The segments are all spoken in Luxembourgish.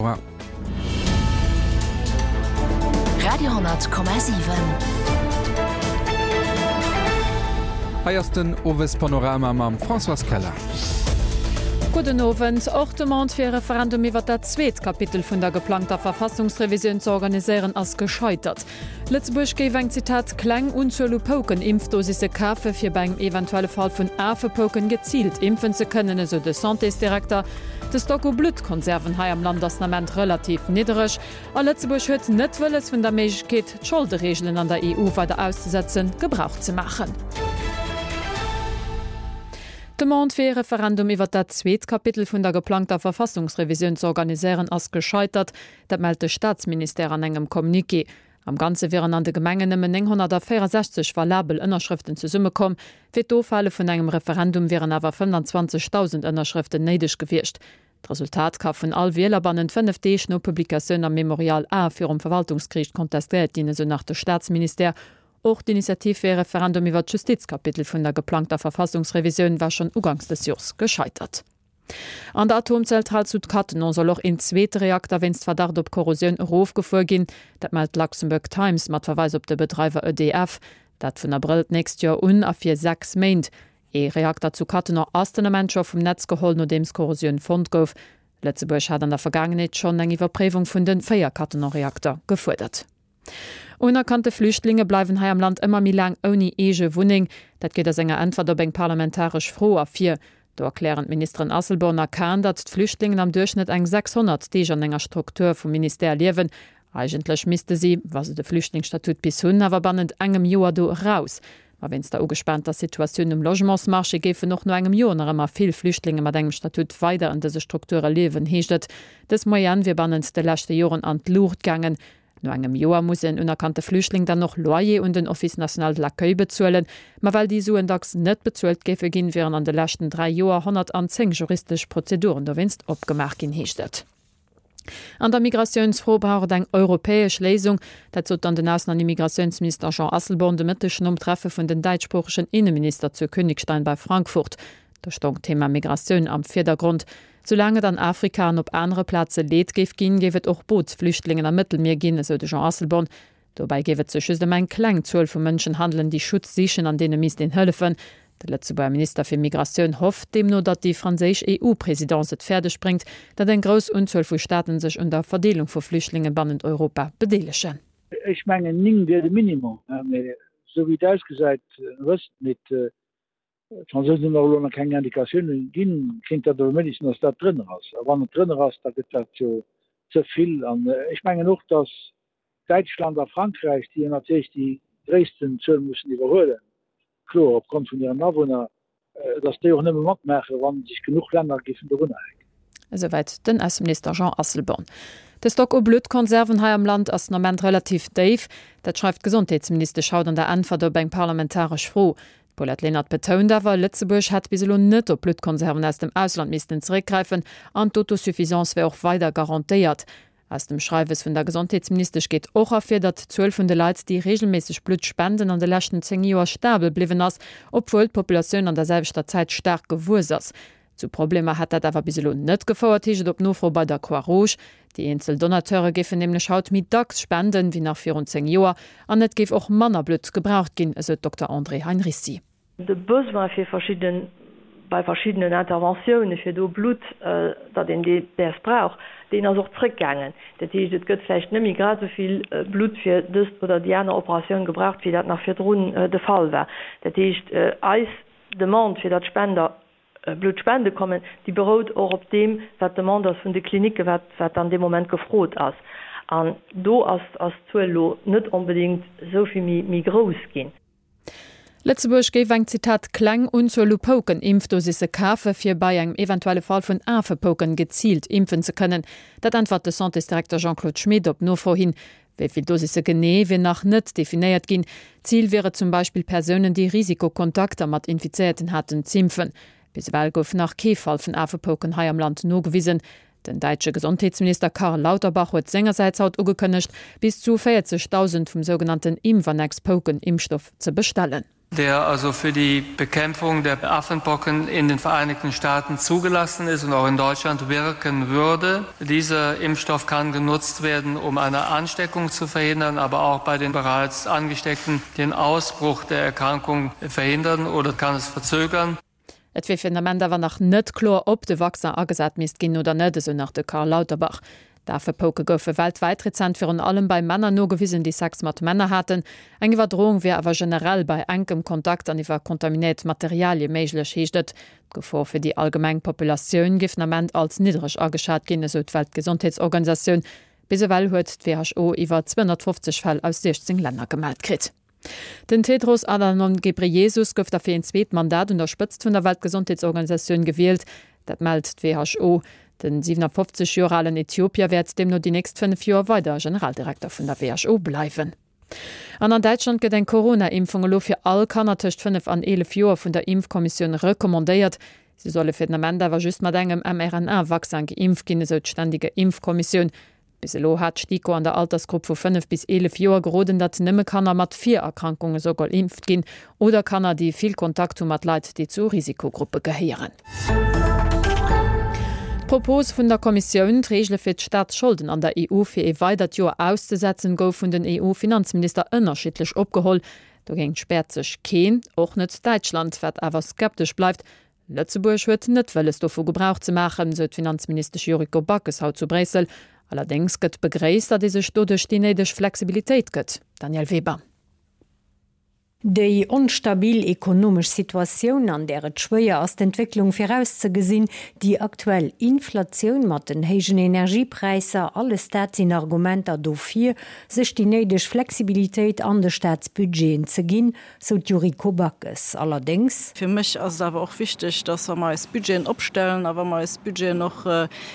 Auer. Radio,7. Hei ass den Owespanorama mam Françoise Keller. Gudden Owend. Och d'Demande fir e Referendum iwwer dat zweet Kapitel vun der geplangter Verfassungsrevisioun ze organiséieren ass gescheitert. Lëtzebuerg géif eng, Zitat, kleng Unzuel u Pouken-Impfdosisse kafe fir bei engem eventuelle Fall vun Afepouken geziilt impfen ze kënnen, esou de Santésdirekter. De Stock u Bluttkonserven hei am Land ass den Ament relativ niddereg a Lëtzebuerg huet net wëlles vun der Méiglechkeet, d'Scholdereegelen an der EU weider auszesetzen, Gebrauch ze maachen. D'Demande fir ee Referendum iwwer dat zweet Kapitel vun der geplangter Verfassungsrevisioun ze organiséieren ass gescheitert. Dat mellt de Staatsministère an engem Communiqué. Am Ganze wieren an de Gemengen nëmmen 964 valabel Ënnerschrëften zesummekomm. Fir d'Ofhale vun engem Referendum wieren awer 25.000 Ënnerschrëften néideg gewiescht. D'Resultat ka vun all Wieler bannent 5 Deeg no Publikatioun am Memorial A virum Verwaltungsgeriicht kontestéiert ginn, esou nach de Staatsministère. Och d'Initiativ fir ee Referendum iwwer d'Justizkapitel vun der geplangter Verfassungsrevisioun war schonn uganks des Jors gescheitert. An der Atomzentral zu Cattenom soll och een zweete Reakter wéinst Verdacht op Korrosioun erofgefuer ginn. Dat mellt d'Luxembourg Times mat Verweis op de Bedreiwer EDF. Dat vun Abrëll d'nächst Joer un a fir 6 Méint. Ee Reakter zu Cattenom ass den Ament scho vum Netz geholl, nodeems Korrosioun fonnt gouf. Lëtzebuerg hat an der Vergaangenheet schonn eng Iwwerpréiwung vun de 4 Cattenom-Reakter gefuerdert. Unerkannte Flüchtlinge bleiwen hei am Land ëmmer méi laang ouni eege Wunneng. Dat geet aus enger Äntwert op eng parlamentaresch Fro ervir. Do erklären d'Ministeren Asselborn a Kahn, datt d'Flüchtlingen am Duerchschnëtt eng 600 Deeg an enger Struktur vum Ministère liewen. Eigentlech misste si, wa se de Flüchtlingsstatut bis hunn, awer bannent engem Joer do eraus. Ma wéinst der ugespaanter Situatioun um Logementsmarché géifen och no engem Joer nach ëmmer vill Flüchtlinge mat engem Statut weider an dëse Strukture liewen, heescht et. Dës Moyenne wier bannent de leschte Joren an d'Luucht gaangen. No engem Joer muss en unerkannte Flüchtling dann och Loyer un den Office national de l'accueil bezuelen. Ma well déi Suen dacks net bezuelt géife ginn, wieren an de leschten 3 Joer 110 juristesch Prozeduren dowéinst opgemaach ginn, heescht et. An der Migratiounsfro brauch et eng europäesch Léisung. Dat sot dann den Aussen an Immigratiounsminister Jean Asselborn de Mëtteg nom Treffe vun den däitschsproochegen Inneminister zu Königstein bei Frankfurt. Do stoung d'Thema Migratioun am Virdergrond. Soulaang et an Afrika an op anere Plaze Leed géif ginn, géif et och Bootsflüchtlingen am Mëttelmier ginn, esou de Jean Asselborn. Dobäi géif et sech just ëm eng kleng Zuel vu Mënschen handelen, déi Schutz sichen an deene misst een hëllefen. De Lëtzebuerger Minister fir Migratioun hofft deemno, datt déi franséisch EU-Presidence et fäerdeg bréngt, datt eng grouss Unzuel vu Staaten sech un der Verdeelung vu Flüchtlinge bannent Europa bedeelegen. Ech mengen 9 wier de Minimum, mee esou wéi et ausgesäit, wësst nit, D'Fransousen hunn och elo nach keng Indikatiounen ginn. Kéint dat awer méiglech sinn, datt dat drënner ass. A wann et drënner ass, da gëtt dat jo ze vill. An ech mengen och, datt Däitschland a Frankräich, déi jo natierlech déi gréissten Zuel mussen iwwerhuelen, kloer opgrond vun hiren Awunner, datt déi och nëmme matmaachen, wa sech genuch Länner géifen dorunner hänken. Esouwäit den Ausseminister Jean Asselborn. De Stock u Bluttkonserven hei am Land ass den Ament relativ déif. Dat schreift d'Gesondheetsministesch haut an der Äntwert op eng parlamentaresch Fro. D'Paulette Lenert betount awer, Lëtzebuerg hätt bis elo net op Bluttkonserven aus dem Ausland missten zeréckgräifen an d'Autosuffisance wär och weider garantéiert. Aus dem Schreiwes vun der Gesondheetsministesch geet och ervir, datt d'Zuel vun de Leit, déi reegelméisseg Blutt spenden, an de leschten 10 Joer stabel bliwwen ass, obwuel d'Populatioun an der selwechter Zäit staark gewuess ass. Zu Problemer hätt dat awer bis elo net gefouert, heescht et op Nofro bei der Croix-Rouge. Déi eenzel Donateure géifen nämlech haut méi dacks spenden, wéi nach virun 10 Joer, an et géif och manner Blutt gebraucht ginn, esou d'Dokter Andrée Heinricy. De Besoin fir verschidden, bei verschiddenen Interventioune fir do Blutt, datt een dee däers brauch, deen ass och zrëckgaangen. Dat heescht, et gëtt vläicht net méi grad esou vill Blutt fir dëst oder déi aner Operatioun gebraucht, wéi dat nach virdrun de Fall war. Dat heescht, eis Demande, fir datt Spender Blutt spende kommen, déi berout och op deem, wat d'Demande ass vun de Klinicken, wat, wat dann dee Moment gefrot ass. An do ass, ass d'Zuel elo net onbedéngt esou vill méi, méi grouss ginn. Lëtzebuerg géif eng, Zitat, kleng Unzuel u Pouken-Impfdosisse kafe fir bei engem eventuelle Fall vun Afepouken geziilt impfen ze kënnen. Dat äntwert de Santésdirekter Jean-Claude Schmit op Nofro hin. Wéi vill Dosisse genee, wier nach net definéiert ginn. Zil wier et zum Beispill Persounen, déi Risikokontakter mat Infizéierten haten, z'impfen. Bis ewell gouf nach kee Fall vun Afepouken hei am Land nogewisen. Den däitsche Gesondheetsminister Karl Lauterbach huet sengersäits haut ugekënnegt, bis zu 40.000 vum sougenannten Imvanex-Pouken-Impfstoff ze bestellen. Der also für die Bekämpfung der Affenpocken in den Vereinigten Staaten zugelassen ist und auch in Deutschland wirken würde. Dieser Impfstoff kann genutzt werden, um eine Ansteckung zu verhindern, aber auch bei den bereits Angesteckten den Ausbruch der Erkrankung verhindern oder kann es verzögern. Et wier fir den Ament awer nach net kloer, ob de Vaccin agesat misst ginn oder net, esou nach de Karl Lauterbach. D'Afepouke goufe weltwäit rezent virun allem bei Männer nogewisen, déi Sex mat Männer haten. Eng Iwwerdroung wier awer generell bei enkem Kontakt an iwwer kontaminéiert Materialie méiglech, heescht et. D'Gefor fir déi allgemeng Populatioun géif den Ament als niddereg ageschat ginn, esou d'Weltgesondheetsorganisatioun. Bis ewell huet d'WHO iwwer 250 Fäll aus 16 Länner gemellt kritt. Den Tedros Adhanom Ghebreyesus gouf da fir een zweet Mandat un der Spëtzt vun der Weltgesondheetsorganisatioun gewielt. Dat mellt d'WHO. Den 57 Joer alen Äthiopier wäert deemno déi nächst 5 Joer weider Generaldirekter vun der WHO bleiwen. An an Däitschland gëtt eng Corona-Impfung elo fir all Kanner tëscht 5 an 11 Joer vun der Impfkommissioun recommandéiert. Si solle fir den Ament awer just mat engem mRNA-Vaccin geimpft ginn, esou d'Ständige Impfkommissioun. Bis elo hat d'STIKO an der Altersgrupp vu 5 bis 11 Joer geroden, datt nëmme Kanner mat Virerkrankunge soll geimpft ginn oder Kanner, déi vill Kontakt hu mat Leit, déi zu Risikogruppe gehéieren. D'Propos vun der Kommissioun, d'Reegele fir d'Staatsscholden an der EU fir ee weidert Joer auszesetzen, gouf vun den EU-Finanzminister ënnerschiddlech opgeholl. Dogéint späert sech keen, och net Däitschland, wat awer skeptesch bleift, Lëtzebuerg huet net wëlles dovu Gebrauch ze maachen, sou d'Finanzministesch Yuriko Backes haut zu Bréissel. Allerdéngs gëtt begréisst, datt ee sech doduerch déi néideg Flexibilitéit gëtt. Danièle Weber. Déi onstabil ekonomesch Situatioun, an där et schwéier ass d'Entwécklung virauszegesinn, déi aktuell Inflatioun mat den héijen Energiepräisser, alles dat sinn Argumenter dofir, sech déi néideg Flexibilitéit an de Staatsbudgeten ze ginn, sou d'Yuriko Backes. Allerdéngs. Fir mech ass et awer och wichteg, dass wa mer eis Budgeten opstellen a wa mer eis Budgeten och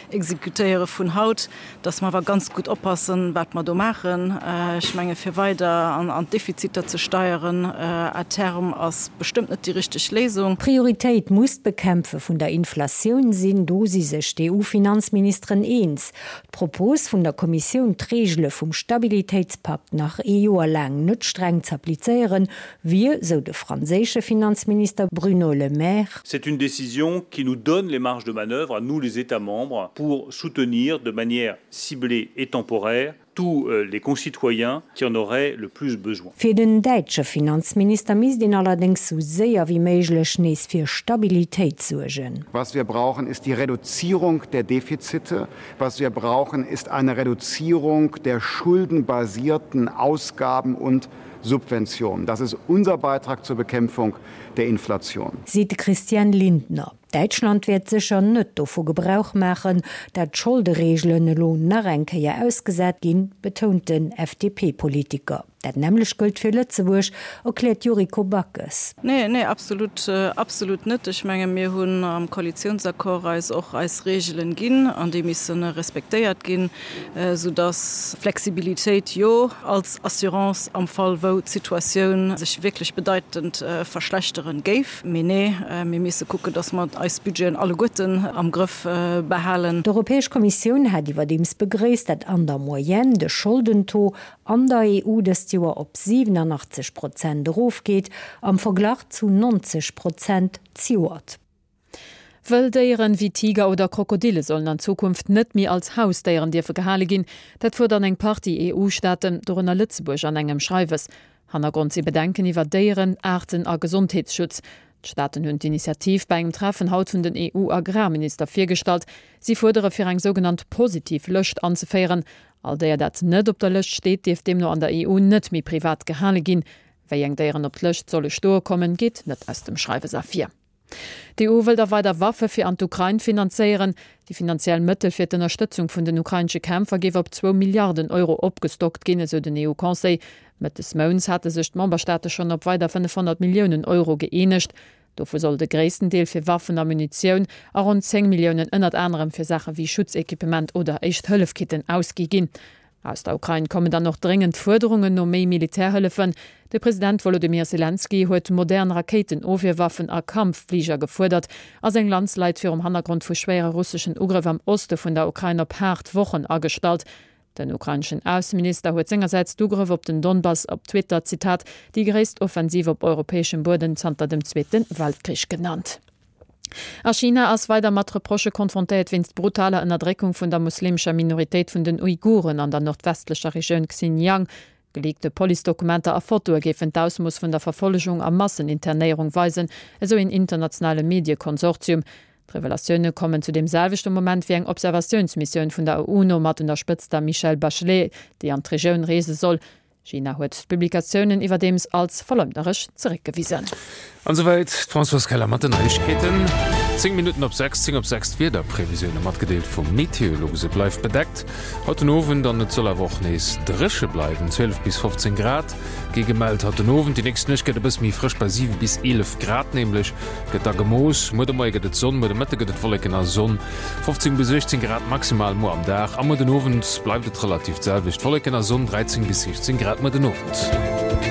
exekutéiere vun haut, dass mer awer ganz gutt oppassen, wat mer do maachen. Ech menge fir weider an d'Defiziter ze steieren à terme ass bestëmmt net déi richteg Léisung. Prioritéit muss d'Bekämpfe vun der Inflatioun sinn, do si sech d'EU-Finanzministeren eens. D'Propos vun der Kommissioun, d'Reegele vum Stabilitéitspakt nach ee Joer laang net streng z'applizéieren, wier, sou de franséische Finanzminister Bruno Le Maire, C'est une décision qui nous donne les marges de manœuvre à nous les États membres pour soutenir de manière ciblée et temporaire tous les concitoyens qui en auraient le plus besoin. Fir den däitsche Finanzminister misst een allerdéngs sou séier wéi méiglech nees fir Stabilitéit suergen. Was wir brauchen, ist die Reduzierung der Defizite. Was wir brauchen, ist eine Reduzierung der schuldenbasierten Ausgaben und Subventionen. Das ist unser Beitrag zur Bekämpfung der Inflation. Seet de Christian Lindner. Däitschland wäert sécher net dovu Gebrauch maachen, dat d'Scholdereegelen elo nach eng Kéier ausgesat ginn, betount den FDP-Politiker. Dat nämmlecht gëllt fir Lëtzebuerg, erkläert d'Yuriko Backes. Nee, nee, absolut, absolut net. Ech menge mir hunn am Koalitionsaccord eis och eis Reegelen ginn an déi misse respektéiert ginn, soudass Flexibilitéit, jo, als Assurance am Fall wou d'Situatioun sech wierklech bedeitend verschlechteren géif. Mee nee, mir misse kucken, dass mer eis Budgeten alleguerten am Grëff behalen. D'Europäesch Kommissioun hat iwwerdeems begréisst, dat an der Moyenne de Scholdentaux an der EU dëst Joer op 87 Prozent erofgeet, am Verglach zu 90 Prozent zejoert. Wëll Déieren wéi Tiger oder Krokodille sollen an Zukunft net méi als Hausdéieren dierfe gehale ginn. Dat fuerderen eng Partie EU-Staaten, dorënner Lëtzebuerg, an engem Schreiwes. Hannergrond si Bedenken iwwer Déieren-, Aarten a Gesondheetsschutz. D'Staaten hunn d'Initiativ bei engem Treffen haut vun den EU-Agrarminister virgestallt. Si fuerdere fir eng sougenannt positiv Lëscht anzeféieren. All Déier dat net op der Lëscht steet, dierf deemno an der EU net méi privat gehale ginn. Wéi eng Déieren op d'Lëscht solle stoe kommen, geet net aus dem Schreiwes ervir. D'EU wëllt a weider Waffe fir an d'Ukrain finanzéieren. Déi finanziell Mëttel fir d'Ënnerstëtzung vun den ukrainesche Kämpfer géif op zwou Milliarden Euro opgestockt ginn, esou den EU-Conseil. Mëtt des Mounts hate sech d'Memberstaate schonn op weider 500 Milliounen Euro gëeenegt. Dovu soll de gréissten Deel fir Waffen a Munitioun a ronn 10 Milliounen ënnert anerem fir Saache wéi Schutzequipement oder Éischt-Hëllef-Kitten ausgi ginn. Aus der Ukrain kommen dann och dréngend Fuerderungen no méi Militärhëllefen. De President Wolodymyr Selenskyj huet modern Rakéitenofwierwaffen a Kampffliger gefuerdert a seng Landsleit virum Hannergrond vu schwéiere russeschen Ugrëff am Oste vun der Ukrain op haart Wochen agestallt. Den ukraineschen Ausseminister huet sengersäits d'Ugrëff op den Donbass op Twitter, Zitat, déi gréisst Offensiv op europäeschem Buedem zanter dem Zweete Weltkrich genannt. A China ass weider mat Reprochë konfrontéiert wéinst brutaler Ënnerdréckung vun der muslimescher Minoritéit vun den Uiguren an der nordwestlecher Regioun Xinjiang. Geleakte Policedokumenter a Fotoe géifen d'Ausmooss vun der Verfollegung a Masseninternéierung weisen, esou een internationale Mediekonsortium. D'Revelatioune kommen zu deem selwechte Moment wéi eng Observatiounsmissioun vun der UNO mat un der Spëtzt der Michelle Bachelet, déi an d'Regioun reese soll. China huet d'Publikatiounen iwwerdeems als verleumdneresch zeréckgewisen. An esouwäit d'Françoise Keller mat den Neiegkeeten. 10 Minutten op 6, 10 op 6 d'Wiederprevisioune matgedeelt vum Meteolux. Et bleift bedeckt haut den Owend an et soll awer och nees dréche bleiwen. 12 bis 15 Grad gi gemellt haut den Owend. Déi nächst Nuecht gëtt e bësse méi frësch, bei 7 bis 11 Grad nämlech gëtt da gemooss. Muer de Moie gëtt et Sonn, muer de Mëtte gëtt et Wolleken a Sonn. 15 bis 18 Grad maximal muer am Dag a muer den Owend bleift et relativ d'selwecht, Wolleken a Sonn, 13 bis 16 Grad muer den Owend.